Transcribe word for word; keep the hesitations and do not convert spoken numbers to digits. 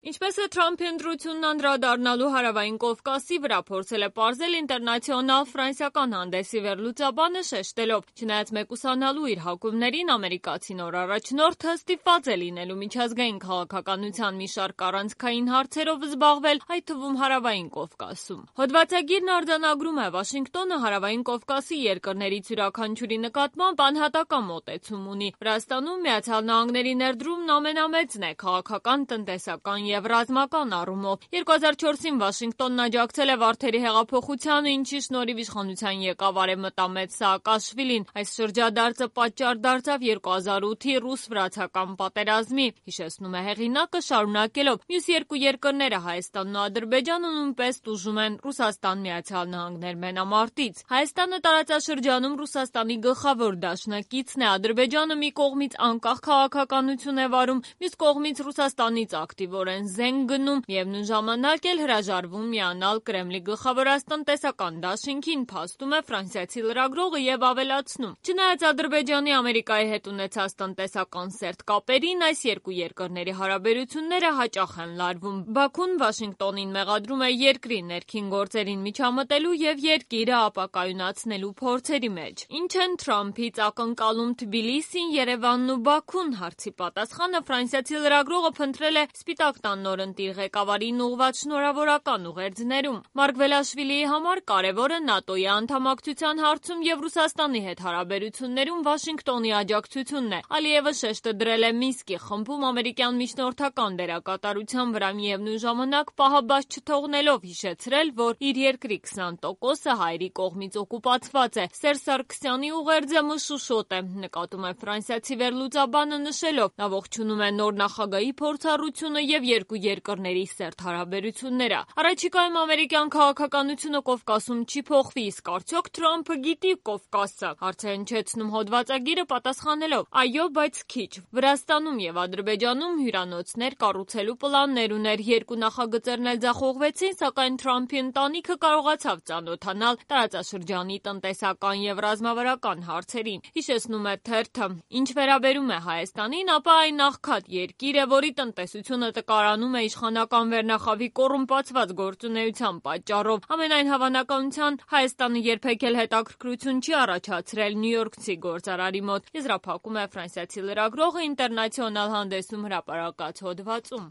Ինչպես է Թրամփի ընտրությունն անդրադառնալու Հարավային Կովկասի վրա փորձել է պարզել ինտերնացիոնալ ֆրանսիական հանդեսի վերլուծաբանը շեշտելով. չնայած մեկուսանալու իր հակումներին, ամերիկացի նոր առաջնորդը ստիպված է լինելու միջազգային քաղաքականության մի շարք առանցքային հարցերով զբաղվել, այդ թվում Հարավային Կովկասում։ Հոդվածագիրն արձանագրում է. Վաշինգտոնը Հարավային Կովկասի երկրներից յուրաքանչյուրի նկատմամբ անհատական մոտեցում ունի։ Վրաստանում Միացյալ Նահանգների ներդրումն ամենամեծն է քաղաքական, տնտեսական և ռազմական առումով։ երկու հազար չորսին Վաշինգտոնն աջակցել է Վարդերի հեղափոխությանը, ինչի շնորհիվ իշխանության եկավ Արևմտամետ Սաակաշվիլին։ Այս շրջադարձը պատճառ դարձավ երկու հազար ութի ռուս-վրացական պատերազմի, հիշեցնում է հեղինակը, շարունակելով. մյուս երկու երկրները Հայաստանն ու Ադրբեջանը նույնպես տուժում են Ռուսաստան-Միացյալ Նահանգներ մենամարտից։ Հայաստանը տարածաշրջանում Ռուսաստանի գլխավոր դաշնակիցն է, Ադրբեջանը մի կողմից անկախ քաղաքականություն է վարում, մյուս կողմից Ռուսաստանից ակտիվորեն զենք գնում, միևնույն ժամանակ էլ հրաժարվում միանալ Կրեմլի գլխավորած տնտեսական դաշինքին, փաստում է ֆրանսիացի լրագրողը և ավելացնում. չնայած Ադրբեջանի Ամերիկայի հետ ունեցած տնտեսական սերտ կապերին, այս երկու երկրների հարաբերությունները հաճախ են լարվում։ Բաքուն Վաշինգտոնին մեղադրում է երկրի ներքին գործերին միջամտելու և երկիրը ապակայունացնելու փորձերի մեջ։ Ինչ են Թրամփից ակնկալում Թբիլիսին, Երևանն ու Բաքուն հարցի պատասխանը ֆրանսիացի լրագրողը փնտրել է Սպիտակ տան նորընտիր ղեկավարին ուղղված շնորհավորական ուղերձներում։ Մարգվելաշվիլիի համար կարևորը ՆԱՏՕ-ի անդամակցության հարցում և Ռուսաստանի հետ հարաբերություններում Վաշինգտոնի աջակցությունն է։ Ալիևը շեշտը դրել է Մինսկի խմբում ամերիկյան միջնորդական դերակատարության վրա, միևնույն ժամանակ պահաբաց չթողնելով հիշեցրել, որ իր երկրի քսան տոկոսը հայերի կողմից օկուպացված է։ Սերժ Սարգսյանի ուղերձը մշուշոտ է, նկատում է ֆրանսիացի վերլուծաբանը, նշելով. նա ողջունում է նոր նախագահի փորձառությունը և երկու երկրների սերտ հարաբերությունները։ Առաջիկայում ամերիկյան քաղաքականությունը Կովկասում չի փոխվի, իսկ արդյոք Թրամփը գիտի Կովկասը, հարց է հնչեցնում հոդվածագիրը պատասխանելով. այո, բայց քիչ։ Վրաստանում և Ադրբեջանում հյուրանոցներ կառուցելու պլաններ ուներ, երկու նախագծերն էլ ձախողվեցին, սակայն Թրամփի ընտանիքը կարողացավ ծանոթանալ տարածաշրջանի տնտեսական և ռազմավարական հարցերին, հիշեցնում է թերթը։ Ինչ վերաբերում է Հայաստանին, ապա այն աղքատ երկիր է, որի տնտեսությունը տկարանում է իշխանական վերնախավի կոռումպացված գործունեության պատճառով։ Ամենայն հավանականությամբ Հայաստանը երբեք էլ հետաքրքրություն չի առաջացրել նյույորքցի գործարարի մոտ, եզրափակում է ֆրանսիացի լրագրողը ինտերնացիոնալ հանդեսում հրապարակած հոդվածում։